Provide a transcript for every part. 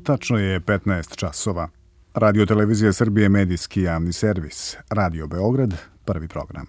Tačno je 15 časova. Radio Televizija Srbije, medijski javni servis. Radio Beograd, prvi program.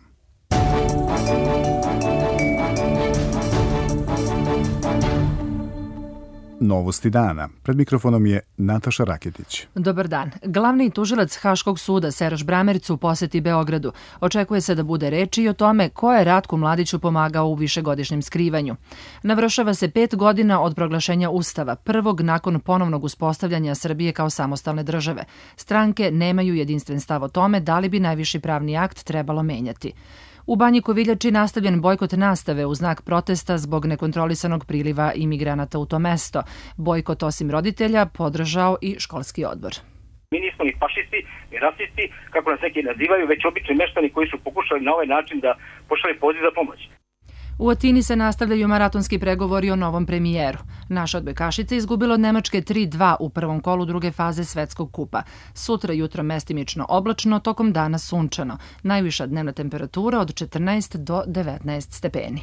Novosti dana. Pred mikrofonom je Nataša Raketić. Dobar dan. Glavni tužilac Haškog suda Seraž Bramerc u poseti Beogradu. Očekuje se da bude reči i o tome ko je Ratku Mladiću pomagao u višegodišnjem skrivanju. Navršava se 5 godina od proglašenja Ustava, prvog nakon ponovnog uspostavljanja Srbije kao samostalne države. Stranke nemaju jedinstven stav o tome da li bi najviši pravni akt trebalo menjati. U Banji Koviljači nastavljen bojkot nastave u znak protesta zbog nekontrolisanog priliva imigranata u to mesto. Bojkot osim roditelja podržao i školski odbor. Mi nismo ni fašisti, ni rasisti, kako nas neki nazivaju, već obični meštani koji su pokušali na ovaj način da pošalju poziv za pomoć. U Atini se nastavljaju maratonski pregovori o novom premijeru. Naša odbojkašica izgubila od Nemačke 3-2 u prvom kolu druge faze svetskog kupa. Sutra jutro mestimično oblačno, tokom dana sunčano. Najviša dnevna temperatura od 14 do 19 stepeni.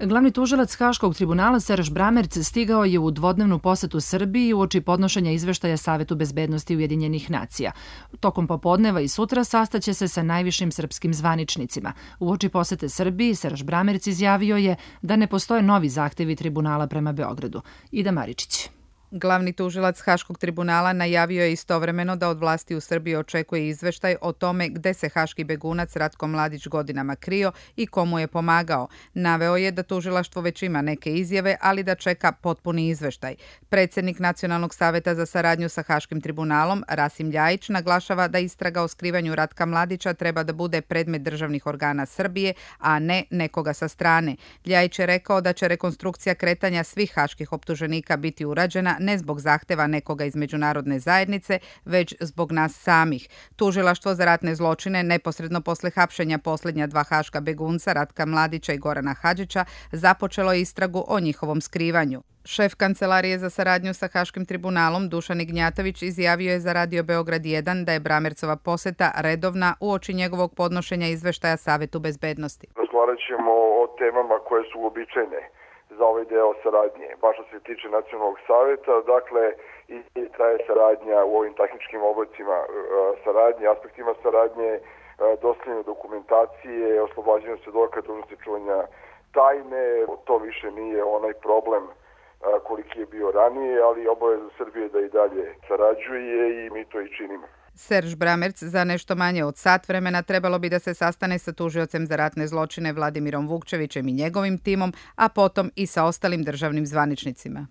Glavni tužilac Haškog tribunala Seraž Bramerc stigao je u dvodnevnu posetu Srbiji uoči podnošenja izveštaja Savetu bezbednosti Ujedinjenih nacija. Tokom popodneva i sutra sastaće se sa najvišim srpskim zvaničnicima. Uoči posete Srbiji Seraž Bramerc izjavio je da ne postoje novi zahtevi tribunala prema Beogradu. Ida Maričić. Glavni tužilac Haškog tribunala najavio je istovremeno da od vlasti u Srbiji očekuje izveštaj o tome gde se haški begunac Ratko Mladić godinama krio i komu je pomagao. Naveo je da tužilaštvo već ima neke izjave, ali da čeka potpuni izveštaj. Predsednik Nacionalnog saveta za saradnju sa Haškim tribunalom, Rasim Ljajić, naglašava da istraga o skrivanju Ratka Mladića treba da bude predmet državnih organa Srbije, a ne nekoga sa strane. Ljajić je rekao da će rekonstrukcija kretanja svih haških optuženika biti urađena ne zbog zahteva nekoga iz međunarodne zajednice, već zbog nas samih. Tužilaštvo za ratne zločine neposredno posle hapšenja posljednja dva haška begunca, Ratka Mladića i Gorana Hadžića, započelo je istragu o njihovom skrivanju. Šef Kancelarije za saradnju sa Haškim tribunalom Dušan Ignjatović izjavio je za Radio Beograd 1 da je Bramercova poseta redovna uoči njegovog podnošenja izveštaja Savetu bezbednosti. Razgovarat ćemo o temama koje su uobičajene za ovaj deo saradnje. Baš što se tiče Nacionalnog saveta, dakle, i traje saradnja u ovim tehničkim oblicima saradnje, aspektima saradnje, dostavljanje dokumentacije, oslobađanje svedoka, dužnosti čuvanja tajne. To više nije onaj problem koliki je bio ranije, ali obaveza Srbije da i dalje sarađuje i mi to i činimo. Seraž Bramerc za nešto manje od sat vremena trebalo bi da se sastane sa tužiocem za ratne zločine Vladimirom Vukčevićem i njegovim timom, a potom i sa ostalim državnim zvaničnicima.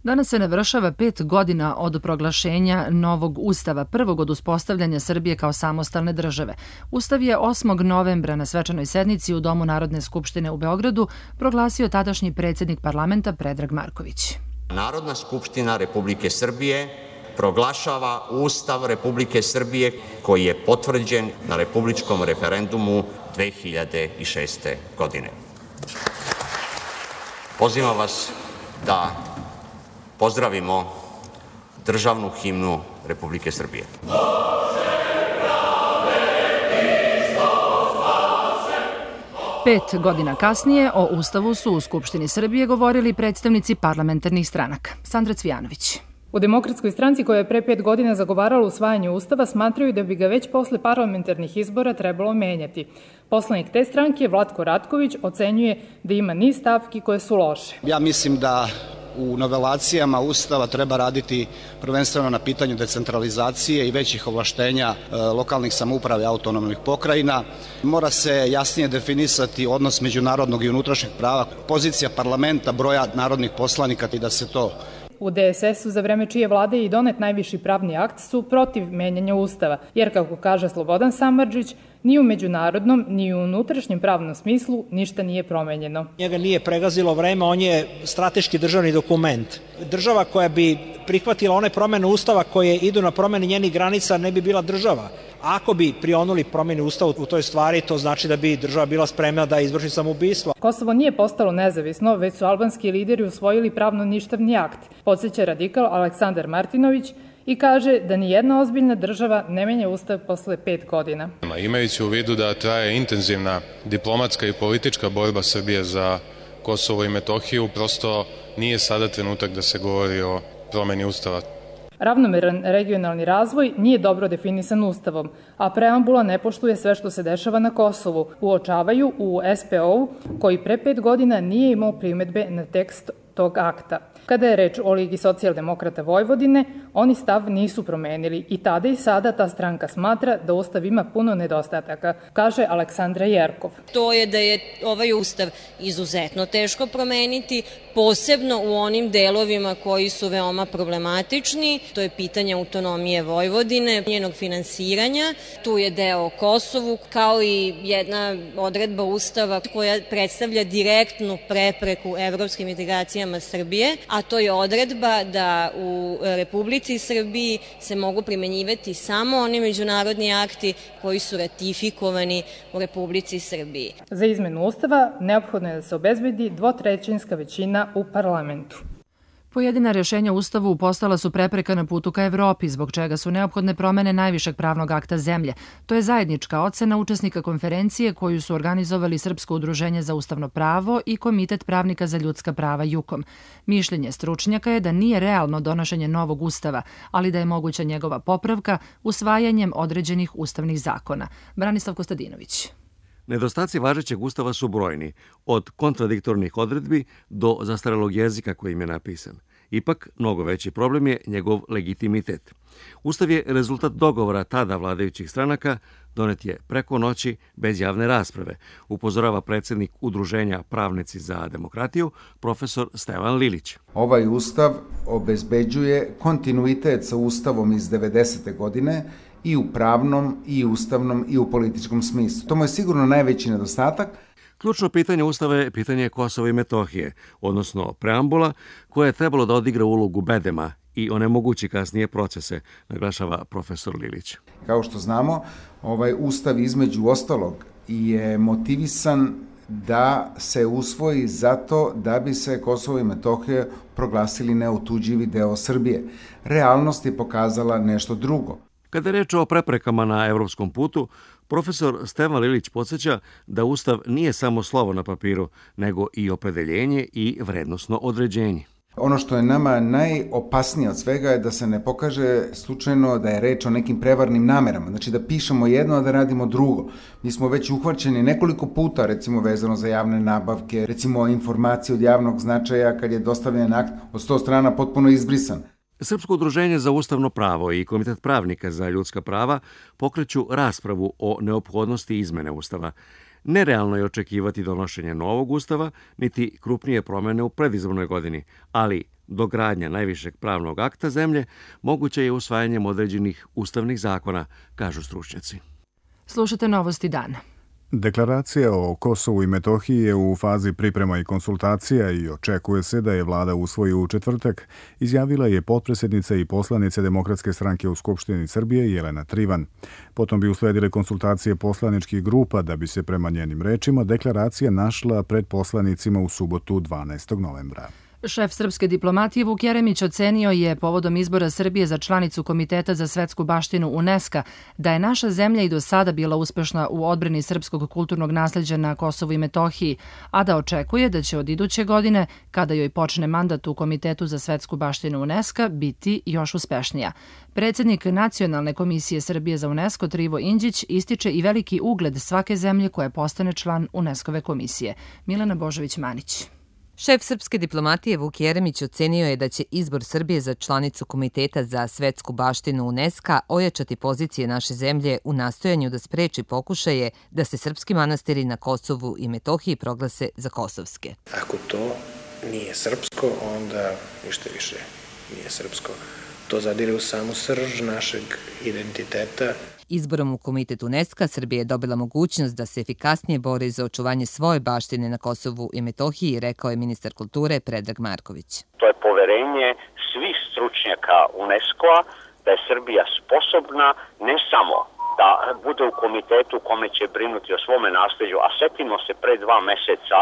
Danas se navršava 5 godina od proglašenja novog Ustava, prvog od uspostavljanja Srbije kao samostalne države. Ustav je 8. novembra na svečanoj sednici u Domu Narodne skupštine u Beogradu proglasio tadašnji predsjednik parlamenta Predrag Marković. Narodna skupština Republike Srbije proglašava Ustav Republike Srbije koji je potvrđen na republičkom referendumu 2006. godine. Pozivam vas da pozdravimo državnu himnu Republike Srbije. 5 godina kasnije o Ustavu su u Skupštini Srbije govorili predstavnici parlamentarnih stranaka. Sandra Cvijanović. U Demokratskoj stranci koja je pre 5 godina zagovarala usvajanje Ustava smatraju da bi ga već posle parlamentarnih izbora trebalo menjati. Poslanik te stranke, Vlatko Ratković, ocenjuje da ima niz stavki koje su loše. Ja mislim da u novelacijama Ustava treba raditi prvenstveno na pitanju decentralizacije i većih ovlaštenja lokalnih samouprava i autonomnih pokrajina. Mora se jasnije definisati odnos međunarodnog i unutrašnjeg prava, pozicija parlamenta, broja narodnih poslanika i da se to... U DSS-u za vreme čije vlade je i donet najviši pravni akt su protiv menjanja Ustava, jer kako kaže Slobodan Samardžić, ni u međunarodnom, ni u unutrašnjem pravnom smislu ništa nije promenjeno. Njega nije pregazilo vreme, on je strateški državni dokument. Država koja bi prihvatila one promene Ustava koje idu na promene njenih granica ne bi bila država. Ako bi prionuli promjeni Ustava u toj stvari, to znači da bi država bila spremna da izvrši samoubistvo. Kosovo nije postalo nezavisno, već su albanski lideri usvojili pravno ništavni akt, podsjeća radikal Aleksandar Martinović i kaže da nijedna ozbiljna država ne menja Ustav posle 5 godina. Imajući u vidu da traje intenzivna diplomatska i politička borba Srbije za Kosovo i Metohiju, prosto nije sada trenutak da se govori o promeni ustava. Ravnomeran regionalni razvoj nije dobro definisan Ustavom, a preambula ne poštuje sve što se dešava na Kosovu, uočavaju u SPO-u koji pre 5 godina nije imao primedbe na tekst tog akta. Kada je reč o Ligi socijaldemokrata Vojvodine, oni stav nisu promenili i tada i sada ta stranka smatra da Ustav ima puno nedostataka, kaže Aleksandra Jerkov. To je da je ovaj Ustav izuzetno teško promeniti, posebno u onim delovima koji su veoma problematični. To je pitanje autonomije Vojvodine, njenog finansiranja. Tu je deo o Kosovu, kao i jedna odredba Ustava koja predstavlja direktnu prepreku evropskim integracijama Srbije, a to je odredba da u Republici Srbiji se mogu primenjivati samo oni međunarodni akti koji su ratifikovani u Republici Srbiji. Za izmenu Ustava neophodno je da se obezbedi 2/3 većina u parlamentu. Pojedina rješenja u Ustavu postala su prepreka na putu ka Evropi, zbog čega su neophodne promene najvišeg pravnog akta zemlje. To je zajednička ocena učesnika konferencije koju su organizovali Srpsko udruženje za ustavno pravo i Komitet pravnika za ljudska prava JUKOM. Mišljenje stručnjaka je da nije realno donošenje novog Ustava, ali da je moguća njegova popravka usvajanjem određenih ustavnih zakona. Branislav Kostadinović. Nedostaci važećeg Ustava su brojni, od kontradiktornih odredbi do zastarelog jezika kojim je napisan. Ipak, mnogo veći problem je njegov legitimitet. Ustav je rezultat dogovora tada vladajućih stranaka, donet je preko noći bez javne rasprave, upozorava predsjednik Udruženja Pravnici za demokratiju, profesor Stevan Lilić. Ovaj Ustav obezbeđuje kontinuitet sa Ustavom iz 90. godine, i u pravnom, i u ustavnom, i u političkom smislu. To mu je sigurno najveći nedostatak. Ključno pitanje Ustava je pitanje Kosova i Metohije, odnosno preambula, koja je trebalo da odigra ulogu bedema i onemogući kasnije procese, naglašava profesor Lilić. Kao što znamo, ovaj Ustav između ostalog je motivisan da se usvoji zato da bi se Kosovo i Metohija proglasili neotuđivi deo Srbije. Realnost je pokazala nešto drugo. Kada je reč o preprekama na evropskom putu, profesor Stevan Lilić podsjeća da Ustav nije samo slovo na papiru, nego i opredeljenje i vrednosno određenje. Ono što je nama najopasnije od svega je da se ne pokaže slučajno da je reč o nekim prevarnim namerama. Znači da pišemo jedno, a da radimo drugo. Mi smo već uhvaćeni nekoliko puta, recimo vezano za javne nabavke, recimo informacije od javnog značaja kad je dostavljen akt od 100 strana potpuno izbrisan. Srpsko udruženje za ustavno pravo i Komitet pravnika za ljudska prava pokreću raspravu o neophodnosti izmene Ustava. Nerealno je očekivati donošenje novog Ustava, niti krupnije promene u predizbornoj godini, ali dogradnja najvišeg pravnog akta zemlje moguće je usvajanjem određenih ustavnih zakona, kažu stručnjaci. Slušate Novosti dana. Deklaracija o Kosovu i Metohiji je u fazi priprema i konsultacija i očekuje se da je vlada usvoji u četvrtak, izjavila je potpredsjednica i poslanica Demokratske stranke u Skupštini Srbije Jelena Trivan. Potom bi usledile konsultacije poslaničkih grupa da bi se prema njenim rečima deklaracija našla pred poslanicima u subotu 12. novembra. Šef srpske diplomatije Vuk Jeremić ocenio je povodom izbora Srbije za članicu Komiteta za svetsku baštinu UNESCO da je naša zemlja i do sada bila uspešna u odbrani srpskog kulturnog nasleđa na Kosovu i Metohiji, a da očekuje da će od iduće godine, kada joj počne mandat u Komitetu za svetsku baštinu UNESCO, biti još uspešnija. Predsjednik Nacionalne komisije Srbije za UNESCO Trivo Inđić ističe i veliki ugled svake zemlje koja postane član UNESCO-ve komisije. Milena Božović-Manić. Šef srpske diplomatije Vuk Jeremić ocenio je da će izbor Srbije za članicu Komiteta za svetsku baštinu UNESCO ojačati pozicije naše zemlje u nastojanju da spreči pokušaje da se srpski manastiri na Kosovu i Metohiji proglase za kosovske. Ako to nije srpsko, onda ništa više nije srpsko. To zadire u samu srž našeg identiteta. Izborom u Komitet UNESCO Srbija je dobila mogućnost da se efikasnije bori za očuvanje svoje baštine na Kosovu i Metohiji, rekao je ministar kulture Predrag Marković. To je poverenje svih stručnjaka UNESCO-a da je Srbija sposobna ne samo da bude u komitetu kome će brinuti o svome nasleđu, a setimo se pre 2 meseca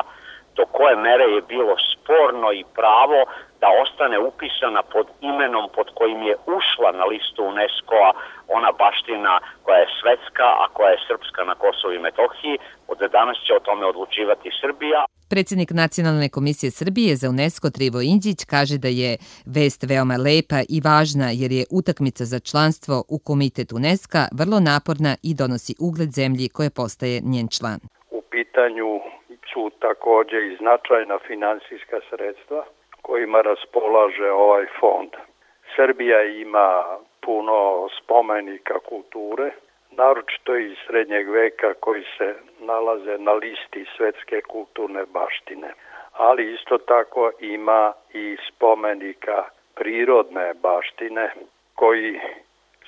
do koje mere je bilo sporno i pravo da ostane upisana pod imenom pod kojim je ušla na listu UNESCO-a ona baština koja je svetska, a koja je srpska na Kosovu i Metohiji. Od danas će o tome odlučivati Srbija. Predsjednik Nacionalne komisije Srbije za UNESCO Trivo Indžić kaže da je vest veoma lepa i važna jer je utakmica za članstvo u Komitet UNESCO vrlo naporna i donosi ugled zemlji koja postaje njen član. U pitanju su takođe i značajna finansijska sredstva kojima raspolaže ovaj fond. Srbija ima puno spomenika kulture, naročito iz srednjeg veka koji se nalaze na listi svetske kulturne baštine, ali isto tako ima i spomenika prirodne baštine koji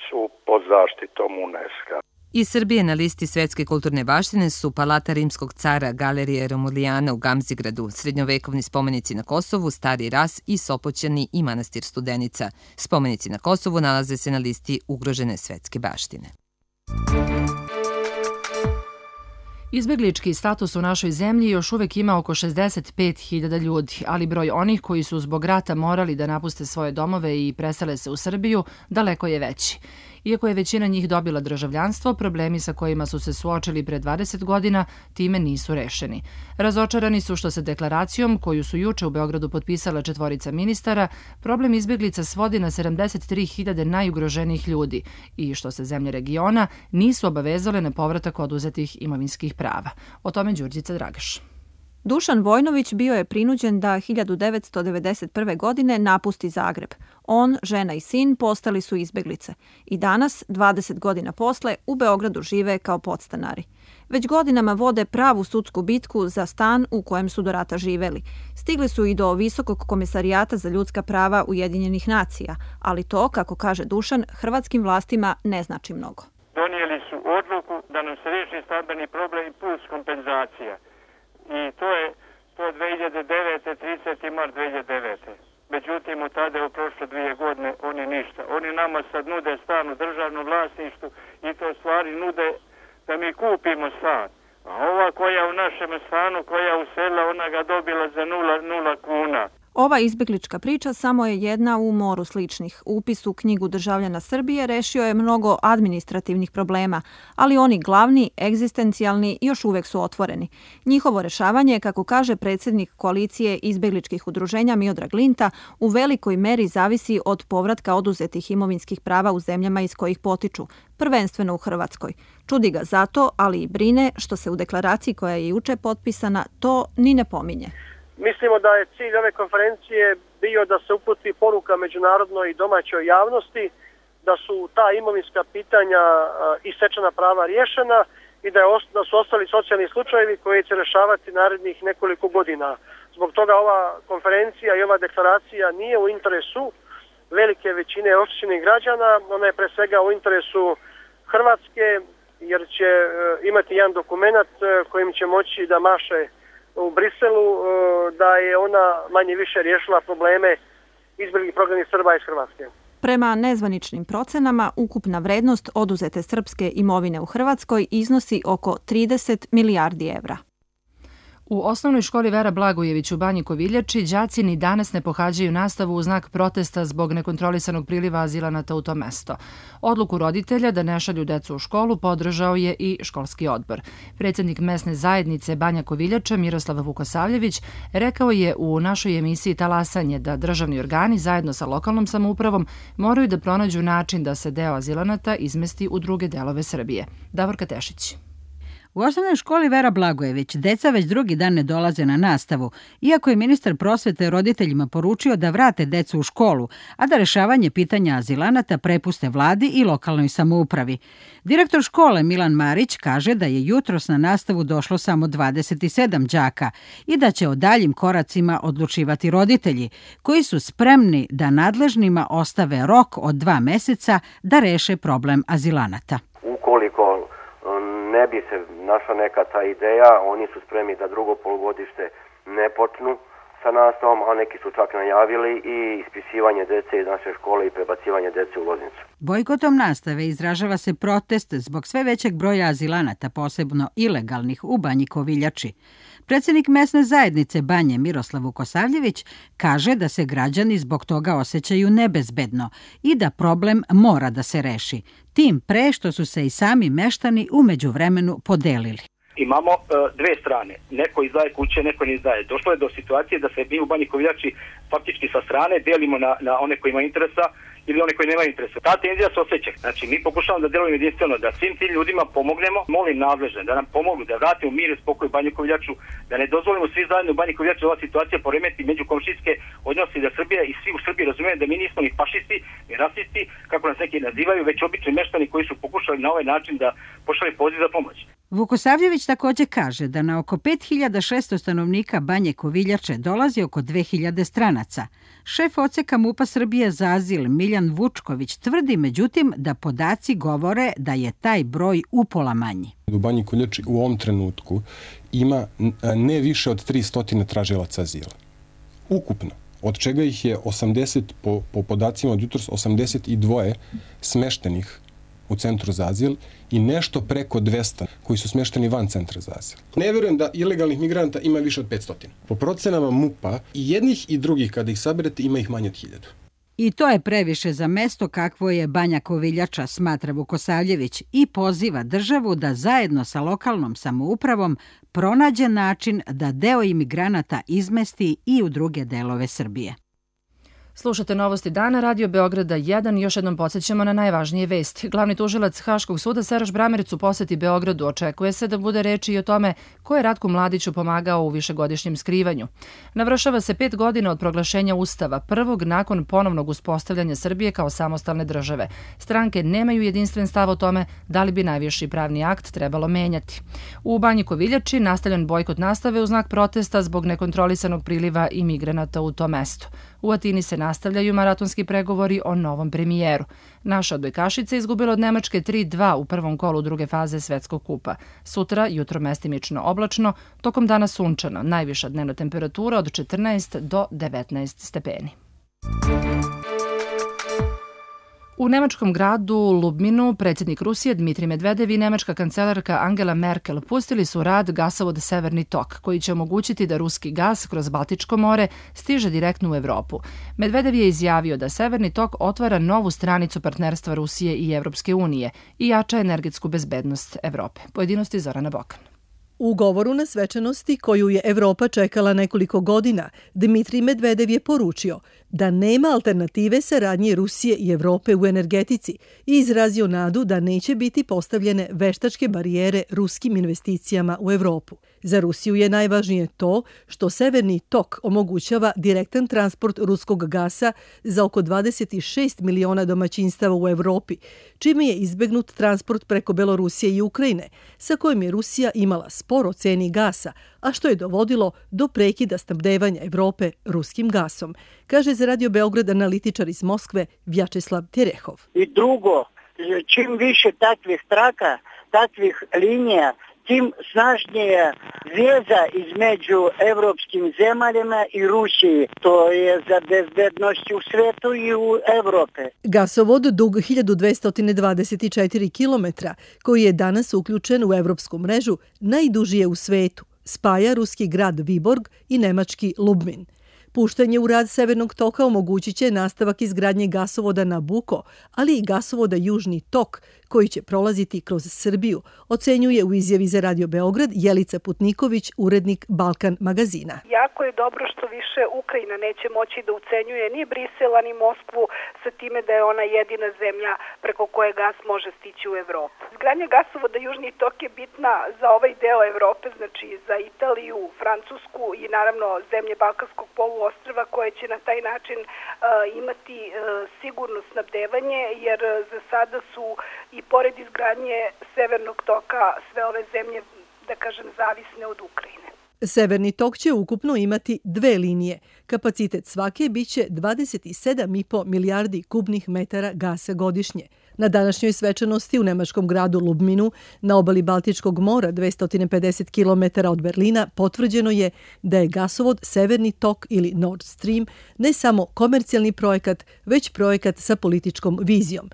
su pod zaštitom UNESCO. Iz Srbije na listi svetske kulturne baštine su Palata rimskog cara, Galerije Romulijana u Gamzigradu, srednjovekovni spomenici na Kosovu, Stari Ras i Sopoćani i manastir Studenica. Spomenici na Kosovu nalaze se na listi ugrožene svetske baštine. Izbeglički status u našoj zemlji još uvek ima oko 65.000 ljudi, ali broj onih koji su zbog rata morali da napuste svoje domove i presele se u Srbiju daleko je veći. Iako je većina njih dobila državljanstvo, problemi sa kojima su se suočili pre 20 godina time nisu rešeni. Razočarani su što se deklaracijom, koju su juče u Beogradu potpisala 4 ministara, problem izbeglica svodi na 73.000 najugroženijih ljudi i što se zemlje regiona nisu obavezale na povratak oduzetih imovinskih prava. O tome Đurđica Dragaš. Dušan Vojnović bio je prinuđen da 1991. godine napusti Zagreb. On, žena i sin postali su izbeglice i danas, 20 godina posle, u Beogradu žive kao podstanari. Već godinama vode pravu sudsku bitku za stan u kojem su do rata živeli. Stigli su i do Visokog komesarijata za ljudska prava Ujedinjenih nacija, ali to, kako kaže Dušan, hrvatskim vlastima ne znači mnogo. Donijeli su odluku da nam se riješi stambeni problem plus kompenzacija. I to je 2009. 30. mart 2009. Međutim, od tada je prošlo 2 godine, oni ništa. Oni nama sad nude stan u državnom vlasništvu i to stvari nude da mi kupimo stan. A ova koja u našem stanu, koja uselila, ona ga dobila za 0 kuna. Ova izbeglička priča samo je jedna u moru sličnih. Upis u knjigu državljana Srbije rešio je mnogo administrativnih problema, ali oni glavni, egzistencijalni, još uvek su otvoreni. Njihovo rešavanje, kako kaže predsjednik koalicije izbegličkih udruženja Miodrag Linta, u velikoj meri zavisi od povratka oduzetih imovinskih prava u zemljama iz kojih potiču, prvenstveno u Hrvatskoj. Čudi ga zato, ali i brine što se u deklaraciji koja je juče potpisana to ni ne pominje. Mislimo da je cilj ove konferencije bio da se uputi poruka međunarodnoj i domaćoj javnosti da su ta imovinska pitanja i stečena prava riješena i da su ostali socijalni slučajevi koji će rešavati narednih nekoliko godina. Zbog toga ova konferencija i ova deklaracija nije u interesu velike većine oštećenih građana, ona je pre svega u interesu Hrvatske jer će imati jedan dokument kojim će moći da maše u Briselu da je ona manje više riješila probleme izbjeglih prognanih Srba iz Hrvatske. Prema nezvaničnim procenama, ukupna vrednost oduzete srpske imovine u Hrvatskoj iznosi oko 30 milijardi evra. U osnovnoj školi Vera Blagojević u Banji Koviljači đaci ni danas ne pohađaju nastavu u znak protesta zbog nekontrolisanog priliva azilanata u to mesto. Odluku roditelja da ne šalju decu u školu podržao je i školski odbor. Predsjednik mesne zajednice Banja Koviljača Miroslav Vukosavljević rekao je u našoj emisiji Talasanje da državni organi zajedno sa lokalnom samoupravom moraju da pronađu način da se deo azilanata izmesti u druge delove Srbije. Davorka Tešić. U osnovnoj školi Vera Blagojević deca već drugi dan ne dolaze na nastavu, iako je ministar prosvete roditeljima poručio da vrate decu u školu, a da rešavanje pitanja azilanata prepuste vladi i lokalnoj samoupravi. Direktor škole Milan Marić kaže da je jutros na nastavu došlo samo 27 đaka i da će o daljim koracima odlučivati roditelji, koji su spremni da nadležnima ostave rok od 2 meseca da reše problem azilanata. Ukoliko ne bi se našla neka ta ideja, oni su spremni da drugo polugodište ne počnu sa nastavom, a neki su čak najavili i ispisivanje dece iz naše škole i prebacivanje dece u Loznicu. Bojkotom nastave izražava se protest zbog sve većeg broja azilanata, posebno ilegalnih, u Banji Koviljači. Predsjednik mesne zajednice Banje Miroslav Vukosavljević kaže da se građani zbog toga osjećaju nebezbedno i da problem mora da se reši. Tim pre što su se i sami meštani u međuvremenu podelili. Imamo dve strane. Neko izdaje kuće, neko ne izdaje. Došlo je do situacije da se mi u Banji Koviljači faktički sa strane delimo na one koji imaju interesa ili one koji nemaju interesa. Ta tenzija se osjeća. Znači, mi pokušavamo da delujemo jedinstveno, da svim tim ljudima pomognemo. Molim nadležne da nam pomognu, da vratimo mir i spokoj u Banju Koviljaču, da ne dozvolimo svi zajedno u Banji Koviljaču da ova situacija poremeti međukomšijske odnose, da Srbija i svi u Srbiji razumeju da mi nismo ni fašisti, ni rasisti, kako nas neki nazivaju, već obični meštani koji su pokušali na ovaj način da pošalju poziv za pomoć. Vukosavljević također kaže da na oko 5600 stanovnika Banje Koviljače dolazi oko 2000 stranaca. Šef odseka MUP-a Srbije za azil Miljan Vučković tvrdi međutim da podaci govore da je taj broj upola manji. U Banji Koviljači u ovom trenutku ima ne više od 300 tražilaca azila. Ukupno, od čega ih je 80, po podacima od jutros, 82 smeštenih u centru za azil i nešto preko 200 koji su smešteni van centra za azil. Ne vjerujem da ilegalnih migranta ima više od 500. Po procenama MUP-a i jednih i drugih kada ih saberete ima ih manje od 1000. I to je previše za mesto kakvo je Banja Koviljača, smatra Vukosavljević, i poziva državu da zajedno sa lokalnom samoupravom pronađe način da deo imigranata izmesti i u druge delove Srbije. Slušate Novosti dana, Radio Beograda 1. Još jednom podsjećamo na najvažnije vesti. Glavni tužilac Haškog suda Seraš Brameric u poseti Beogradu. Očekuje se da bude reči i o tome ko je Ratku Mladiću pomagao u višegodišnjem skrivanju. Navršava se 5 godina od proglašenja Ustava, prvog nakon ponovnog uspostavljanja Srbije kao samostalne države. Stranke nemaju jedinstven stav o tome da li bi najviši pravni akt trebalo menjati. U Banji Koviljači nastavljen bojkot nastave u znak protesta zbog nekontrolisanog priliva imigranata u to mesto. U Atini se nastavljaju maratonski pregovori o novom premijeru. Naša odbojkašica izgubila od Nemačke 3-2 u prvom kolu druge faze Svetskog kupa. Sutra jutro mestimično oblačno, tokom dana sunčano, najviša dnevna temperatura od 14 do 19 stepeni. U nemačkom gradu Lubminu predsjednik Rusije Dmitrij Medvedev i nemačka kancelarka Angela Merkel pustili su rad gasovod Severni tok, koji će omogućiti da ruski gas kroz Baltičko more stiže direktno u Evropu. Medvedev je izjavio da Severni tok otvara novu stranicu partnerstva Rusije i Evropske unije i jača energetsku bezbednost Evrope. Pojedinosti Zorana Bokan. U govoru na svečanosti koju je Evropa čekala nekoliko godina, Dmitrij Medvedev je poručio da nema alternative saradnje Rusije i Evrope u energetici i izrazio nadu da neće biti postavljene veštačke barijere ruskim investicijama u Evropu. Za Rusiju je najvažnije to što Severni tok omogućava direktan transport ruskog gasa za oko 26 miliona domaćinstava u Evropi, čime je izbegnut transport preko Belorusije i Ukrajine, sa kojim je Rusija imala spor o ceni gasa, a što je dovodilo do prekida snabdevanja Evrope ruskim gasom, kaže za Radio Beograd analitičar iz Moskve Vjačeslav Terehov. I drugo, čim više takvih traka, takvih linija, tim snažnija veza između evropskim zemaljama i Rusiji. To je za bezbednost u svetu i u Evrope. Gasovod dug 1224 km, koji je danas uključen u evropsku mrežu, najduži je u svetu. Spaja ruski grad Viborg i nemački Lubmin. Puštanje u rad Severnog toka omogućit će nastavak izgradnje gasovoda Nabuko, ali i gasovoda Južni tok, koji će prolaziti kroz Srbiju, ocenjuje u izjavi za Radio Beograd Jelica Putniković, urednik Balkan magazina. Jako je dobro što više Ukrajina neće moći da ucenjuje ni Brisela ni Moskvu sa time da je ona jedina zemlja preko koje gas može stići u Evropu. Izgradnja gasovoda Južni tok je bitna za ovaj deo Evrope, znači za Italiju, Francusku i naravno zemlje Balkanskog poluostrva koje će na taj način imati sigurno snabdevanje, jer za sada su i pored izgradnje Severnog toka sve ove zemlje, da kažem, zavisne od Ukrajine. Severni tok će ukupno imati 2 linije. Kapacitet svake biće 27,5 milijardi kubnih metara gasa godišnje. Na današnjoj svečanosti u nemačkom gradu Lubminu, na obali Baltičkog mora 250 km od Berlina, potvrđeno je da je gasovod Severni tok ili Nord Stream ne samo komercijalni projekat, već projekat sa političkom vizijom.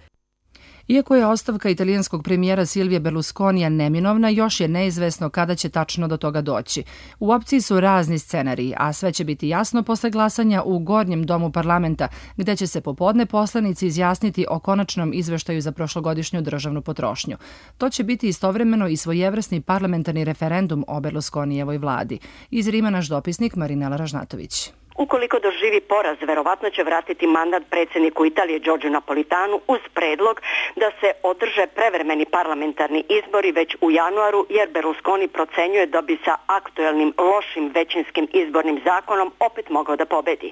Iako je ostavka italijanskog premijera Silvije Berlusconija neminovna, još je neizvesno kada će tačno do toga doći. U opciji su razni scenariji, a sve će biti jasno posle glasanja u Gornjem domu parlamenta, gde će se popodne poslanici izjasniti o konačnom izveštaju za prošlogodišnju državnu potrošnju. To će biti istovremeno i svojevrsni parlamentarni referendum o Berlusconijevoj vladi. Iz Rima naš dopisnik Marinela Ražnatović. Ukoliko doživi poraz, verovatno će vratiti mandat predsjedniku Italije Giorgio Napolitanu uz predlog da se održe prevremeni parlamentarni izbori već u januaru, jer Berlusconi procenjuje da bi sa aktuelnim lošim većinskim izbornim zakonom opet mogao da pobedi.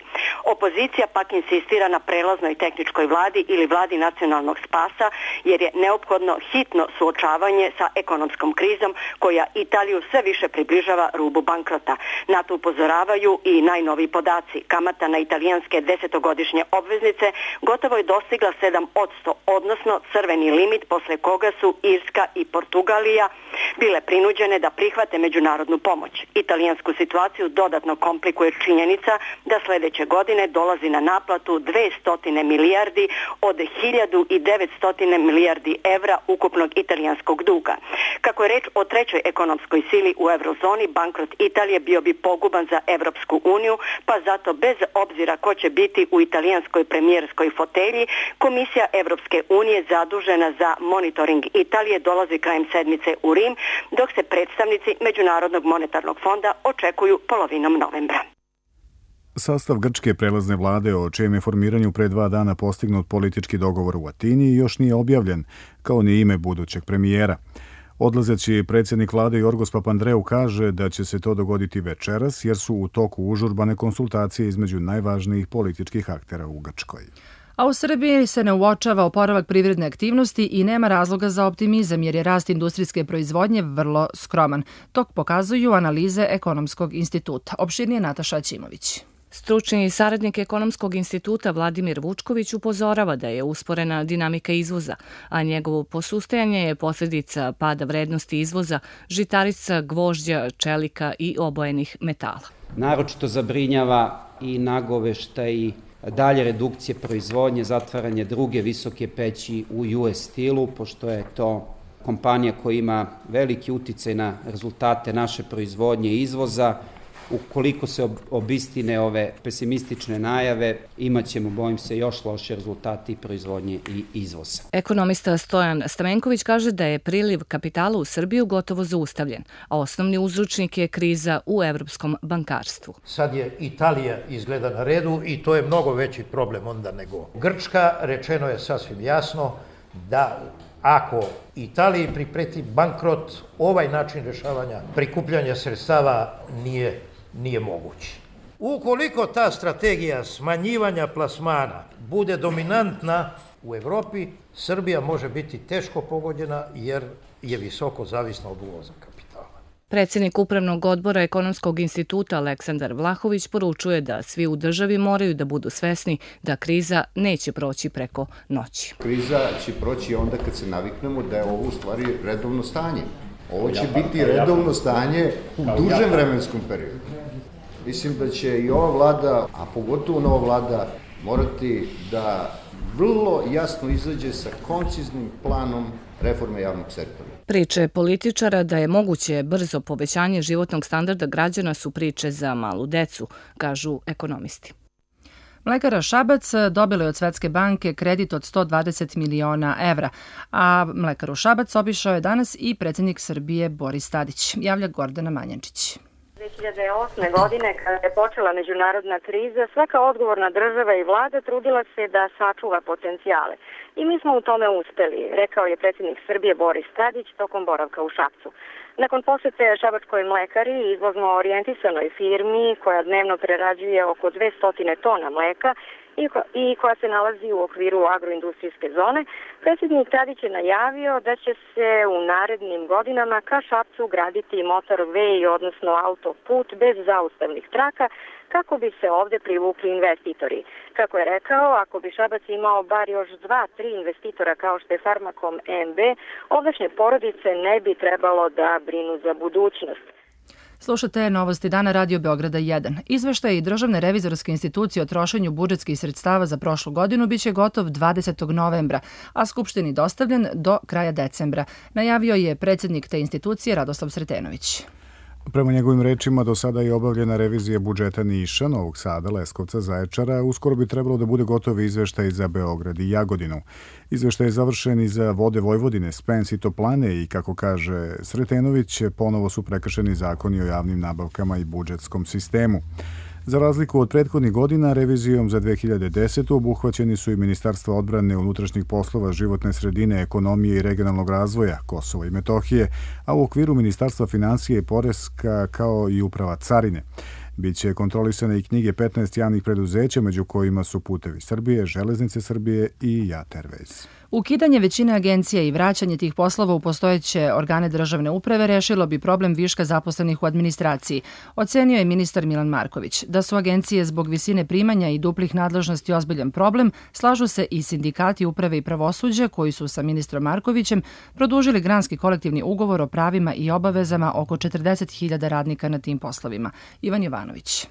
Opozicija pak insistira na prelaznoj tehničkoj vladi ili vladi nacionalnog spasa, jer je neophodno hitno suočavanje sa ekonomskom krizom koja Italiju sve više približava rubu bankrota. Na to upozoravaju i najnoviji podaci. Kamata na italijanske 10-godišnje obveznice gotovo je dostigla 7%, odnosno crveni limit posle koga su Irska i Portugalija bile prinuđene da prihvate međunarodnu pomoć. Italijansku situaciju dodatno komplikuje činjenica da sledeće godine dolazi na naplatu 200 milijardi od 1900 milijardi evra ukupnog italijanskog duga. Kako je reč o trećoj ekonomskoj sili u eurozoni, bankrot Italije bio bi poguban za Evropsku uniju, pa zato bez obzira ko će biti u italijanskoj premijerskoj fotelji, Komisija Evropske unije zadužena za monitoring Italije dolazi krajem sedmice u Rim, dok se predstavnici Međunarodnog monetarnog fonda očekuju polovinom novembra. Sastav grčke prelazne vlade, o čijem je formiranju pre 2 dana postignut politički dogovor u Atini, još nije objavljen, kao ni ime budućeg premijera. Odlazeći predsjednik vlade Jorgos Papandreou kaže da će se to dogoditi večeras, jer su u toku užurbane konsultacije između najvažnijih političkih aktera u Grčkoj. A u Srbiji se ne uočava oporavak privredne aktivnosti i nema razloga za optimizam, jer je rast industrijske proizvodnje vrlo skroman. To pokazuju analize Ekonomskog instituta. Opširnije Nataša Ćimović. Stručni saradnik Ekonomskog instituta Vladimir Vučković upozorava da je usporena dinamika izvoza, a njegovo posustajanje je posljedica pada vrednosti izvoza žitarica, gvožđa, čelika i obojenih metala. Naročito zabrinjava i nagoveštaj dalje redukcije proizvodnje, zatvaranje druge visoke peći u US Steelu, pošto je to kompanija koja ima veliki uticaj na rezultate naše proizvodnje i izvoza. Ukoliko se obistine ove pesimistične najave, imaćemo, bojim se, još loše rezultati proizvodnje i izvoza. Ekonomista Stojan Stamenković kaže da je priliv kapitala u Srbiju gotovo zaustavljen, a osnovni uzročnik je kriza u evropskom bankarstvu. Sad je Italija izgleda na redu i to je mnogo veći problem onda nego Grčka. Rečeno je sasvim jasno da ako Italiji pripreti bankrot, ovaj način rješavanja prikupljanja sredstava nije mogući. Ukoliko ta strategija smanjivanja plasmana bude dominantna u Evropi, Srbija može biti teško pogođena jer je visoko zavisna od uvoza kapitala. Predsjednik Upravnog odbora Ekonomskog instituta Aleksandar Vlahović poručuje da svi u državi moraju da budu svesni da kriza neće proći preko noći. Kriza će proći onda kad se naviknemo da je ovo u stvari redovno stanje. Ovo će biti redovno stanje u dužem vremenskom periodu. Mislim da će i ova vlada, a pogotovo nova vlada, morati da vrlo jasno izađe sa konciznim planom reforme javnog sektora. Priče političara da je moguće brzo povećanje životnog standarda građana su priče za malu decu, kažu ekonomisti. Mlekara Šabac dobila je od Svetske banke kredit od 120 miliona evra, a mlekaru Šabac obišao je danas i predsjednik Srbije Boris Tadić, javlja Gordana Manjančić. 2008. godine, kada je počela međunarodna kriza, svaka odgovorna država i vlada trudila se da sačuva potencijale. I mi smo u tome uspeli, rekao je predsjednik Srbije Boris Tadić tokom boravka u Šapcu. Nakon posete šabačkoj mlekari, izvozno orijentisanoj firmi koja dnevno prerađuje oko 200 tona mleka i koja se nalazi u okviru agroindustrijske zone. Predsjednik Tadić je najavio da će se u narednim godinama ka Šapcu graditi motorway, odnosno autoput bez zaustavnih traka, kako bi se ovde privukli investitori. Kako je rekao, ako bi Šabac imao bar još 2-3 investitora kao što je Farmakom MB, ovdašnje porodice ne bi trebalo da brinu za budućnost. Slušate Novosti dana Radio Beograda 1. Izveštaj Državne revizorske institucije o trošenju budžetskih sredstava za prošlu godinu biće gotov 20. novembra, a Skupštini dostavljen do kraja decembra, najavio je predsjednik te institucije Radoslav Sretenović. Prema njegovim rečima, do sada je obavljena revizija budžeta Niša, Novog Sada, Leskovca, Zaječara. Uskoro bi trebalo da bude gotov izveštaj za Beograd i Jagodinu. Izveštaj je završen i za Vode Vojvodine, Spens i Toplane i, kako kaže Sretenović, ponovo su prekršeni zakoni o javnim nabavkama i budžetskom sistemu. Za razliku od prethodnih godina, revizijom za 2010. obuhvaćeni su i Ministarstva odbrane, unutrašnjih poslova, životne sredine, ekonomije i regionalnog razvoja, Kosova i Metohije, a u okviru Ministarstva financija i poreska kao i Uprava carine. Biće kontrolisane i knjige 15 javnih preduzeća, među kojima su Putevi Srbije, Železnice Srbije i JAT Airways. Ukidanje većine agencija i vraćanje tih poslova u postojeće organe državne uprave rešilo bi problem viška zaposlenih u administraciji, ocenio je ministar Milan Marković. Da su agencije zbog visine primanja i duplih nadležnosti ozbiljan problem, slažu se i sindikati uprave i pravosuđa koji su sa ministrom Markovićem produžili granski kolektivni ugovor o pravima i obavezama oko 40.000 radnika na tim poslovima. Ivan Jovanović.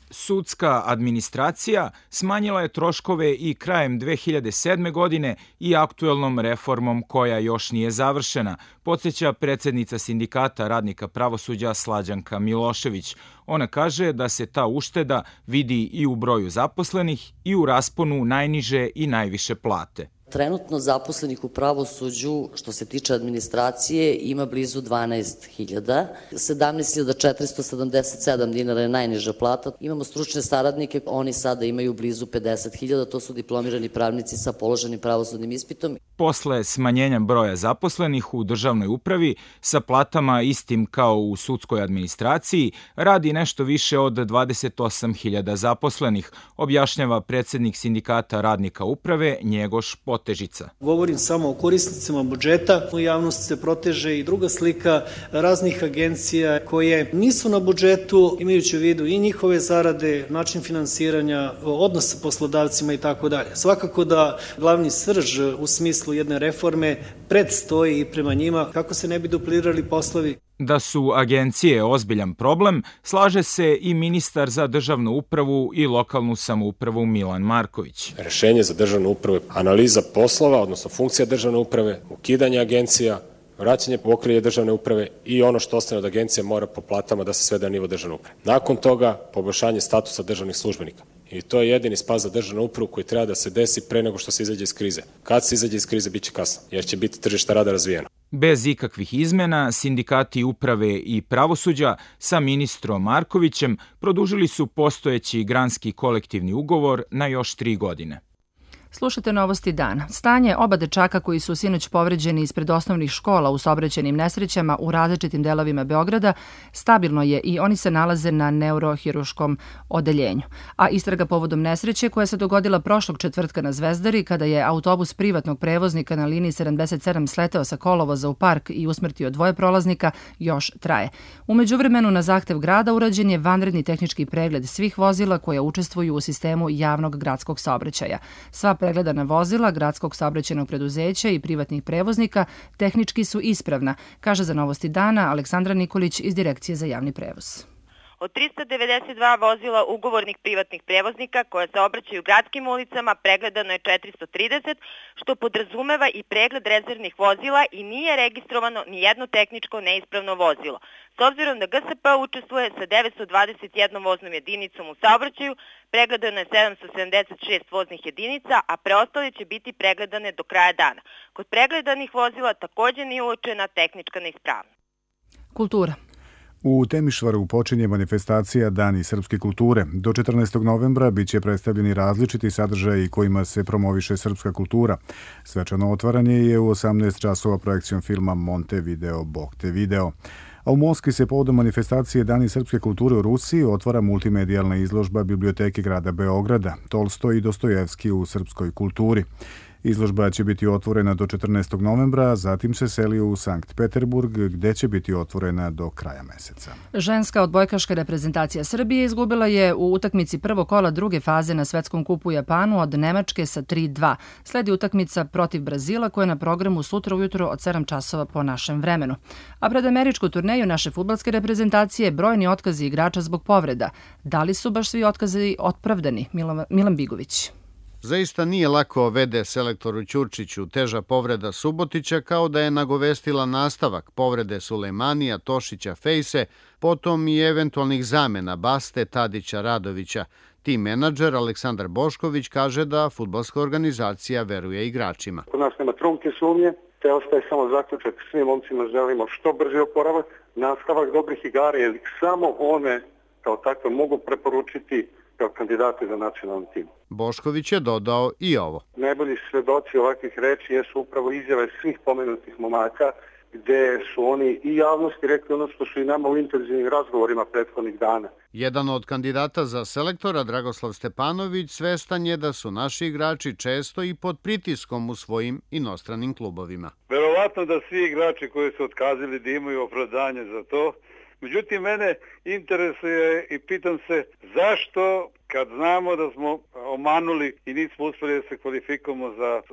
Sudska administracija smanjila je troškove i krajem 2007. godine i aktuelnom reformom koja još nije završena, podsjeća predsjednica Sindikata radnika pravosuđa Slađanka Milošević. Ona kaže da se ta ušteda vidi i u broju zaposlenih i u rasponu najniže i najviše plate. Trenutno zaposlenih u pravosuđu, što se tiče administracije, ima blizu 12.000. 17.477 dinara je najniža plata. Imamo stručne saradnike, oni sada imaju blizu 50.000, to su diplomirani pravnici sa položenim pravosudnim ispitom. Posle smanjenja broja zaposlenih u državnoj upravi, sa platama istim kao u sudskoj administraciji, radi nešto više od 28.000 zaposlenih, objašnjava predsjednik Sindikata radnika uprave Njegoš Potežica. Govorim samo o korisnicima budžeta. U javnosti se proteže i druga slika raznih agencija koje nisu na budžetu, imajući u vidu i njihove zarade, način finansiranja, odnos sa poslodavcima i tako dalje. Svakako da glavni srž u smislu jedne reforme predstoji i prema njima kako se ne bi duplirali poslovi. Da su agencije ozbiljan problem, slaže se i ministar za državnu upravu i lokalnu samoupravu Milan Marković. Rešenje za državnu upravu je analiza poslova, odnosno funkcija državne uprave, ukidanje agencija, vraćanje u okrilje državne uprave i ono što ostane od agencije mora po platama da se svede na nivo državne uprave. Nakon toga, poboljšanje statusa državnih službenika. I to je jedini spas za državnu upravu koji treba da se desi pre nego što se izađe iz krize. Kad se izađe iz krize, bit će kasno, jer će biti tržište rada razvijeno. Bez ikakvih izmena, sindikati uprave i pravosuđa sa ministrom Markovićem produžili su postojeći granski kolektivni ugovor na još 3 godine. Slušate Novosti dana. Stanje oba dečaka koji su sinoć povređeni ispred osnovnih škola u saobraćajnim nesrećama u različitim delovima Beograda stabilno je i oni se nalaze na neurohiruškom odeljenju. A istraga povodom nesreće koja se dogodila prošlog četvrtka na Zvezdari kada je autobus privatnog prevoznika na liniji 77 sleteo sa kolovoza u park i usmrtio 2 prolaznika još traje. U međuvremenu na zahtev grada urađen je vanredni tehnički pregled svih vozila koja učestvuju u sistemu javnog gradskog saobraćaja. Sva pregledana vozila gradskog saobraćajnog preduzeća i privatnih prevoznika tehnički su ispravna, kaže za Novosti dana Aleksandra Nikolić iz Direkcije za javni prevoz. Od 392 vozila ugovornih privatnih prevoznika koja se obraćaju gradskim ulicama pregledano je 430, što podrazumeva i pregled rezervnih vozila i nije registrovano ni jedno tehničko neispravno vozilo. S obzirom da GSP učestvuje sa 921 voznom jedinicom u saobraćaju, pregledano je 776 voznih jedinica, a preostale će biti pregledane do kraja dana. Kod pregledanih vozila također nije uočena tehnička neispravnost. Kultura. U Temišvaru počinje manifestacija Dani srpske kulture. Do 14. novembra biće predstavljeni različiti sadržaji kojima se promoviše srpska kultura. Svečano otvaranje je u 18 časova projekcijom filma Montevideo, Bog te video. A u Moskvi se povodom manifestacije Dani srpske kulture u Rusiji otvara multimedijalna izložba Biblioteke grada Beograda, Tolstoj i Dostojevski u srpskoj kulturi. Izložba će biti otvorena do 14. novembra, a zatim se seli u Sankt Peterburg, gde će biti otvorena do kraja meseca. Ženska odbojkaška reprezentacija Srbije izgubila je u utakmici prvog kola druge faze na Svetskom kupu u Japanu od Nemačke sa 3:2. Sledi utakmica protiv Brazila koja je na programu sutra ujutro od 7 časova po našem vremenu. A pred američku turneju naše fudbalske reprezentacije brojni otkazi igrača zbog povreda. Da li su baš svi otkazi opravdani? Milan Bigović. Zaista nije lako vede selektoru Ćurčiću teža povreda Subotića, kao da je nagovestila nastavak povrede Sulejmanija, Tošića, Fejse, potom i eventualnih zamena Baste, Tadića, Radovića. Tim menadžer Aleksandar Bošković kaže da fudbalska organizacija veruje igračima. Kod nas nema trunke sumnje, te ostaje samo zaključak. Svim momcima želimo što brže oporavak, nastavak dobrih igara, jer samo one kao takve mogu preporučiti kao kandidati za nacionalni tim. Bošković je dodao i ovo. Najbolji svedoci ovakvih reči jesu upravo izjave svih pomenutih momaka, gde su oni i javnosti rekli ono što su i nama u intenzivnim razgovorima prethodnih dana. Jedan od kandidata za selektora, Dragoslav Stepanović, svestan je da su naši igrači često i pod pritiskom u svojim inostranim klubovima. Verovatno da svi igrači koji su otkazali da imaju opravdanje za to. Međutim, mene interesuje i pitam se zašto, kad znamo da smo omanuli i nismo uspjeli da se kvalifikujemo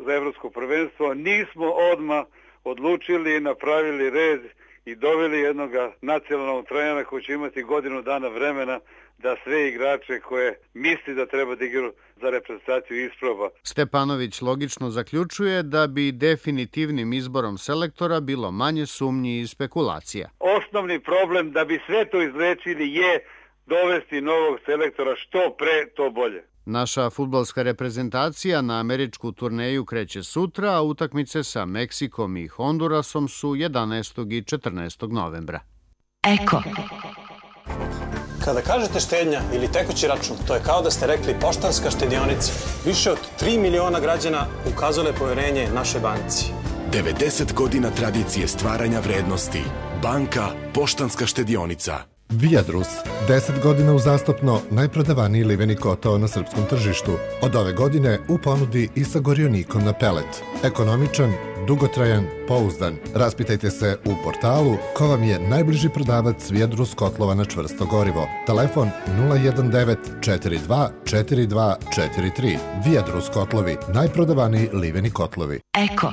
za evropsko prvenstvo, nismo odmah odlučili i napravili red i doveli jednog nacionalnog trenera koji će imati godinu dana vremena da sve igrače koje misli da treba da igraju za reprezentaciju isproba. Stepanović logično zaključuje da bi definitivnim izborom selektora bilo manje sumnji i spekulacija. Osnovni problem da bi sve to izlečili je dovesti novog selektora što pre, to bolje. Naša fudbalska reprezentacija na američku turneju kreće sutra, a utakmice sa Meksikom i Hondurasom su 11. i 14. novembra. Eko. Kada kažete štednja ili tekući račun, to je kao da ste rekli Poštanska štedionica. Više od 3 miliona građana ukazale poverenje našoj banci. 90 godina tradicije stvaranja vrednosti. Banka Poštanska štedionica. Viadrus, 10 godina uzastopno najprodavaniji liveni kotao na srpskom tržištu. Od ove godine u ponudi i sa gorionikom na pelet. Ekonomičan, dugotrajan, pouzdan. Raspitajte se u portalu ko vam je najbliži prodavac Viadrus kotlova na čvrsto gorivo. Telefon 019 42 42 43. Viadrus kotlovi, najprodavaniji liveni kotlovi. Eko.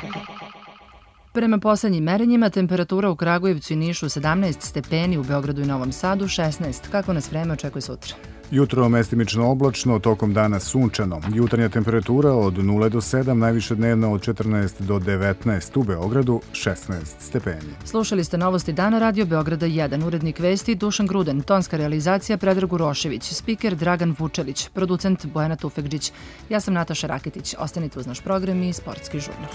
Prema poslednjim merenjima, temperatura u Kragujevcu i Nišu 17 stepeni, u Beogradu i Novom Sadu 16. Kako nas vreme očekuje sutra? Jutro mestimično oblačno, tokom dana sunčano. Jutarnja temperatura od 0 do 7, najviše dnevna od 14 do 19, u Beogradu 16 stepeni. Slušali ste novosti dana Radio Beograda 1, urednik vesti Dušan Gruden, tonska realizacija Predrag Urošević, spiker Dragan Vučelić, producent Bojana Tufekđić. Ja sam Nataša Raketić. Ostanite uz naš program i sportski žurnal.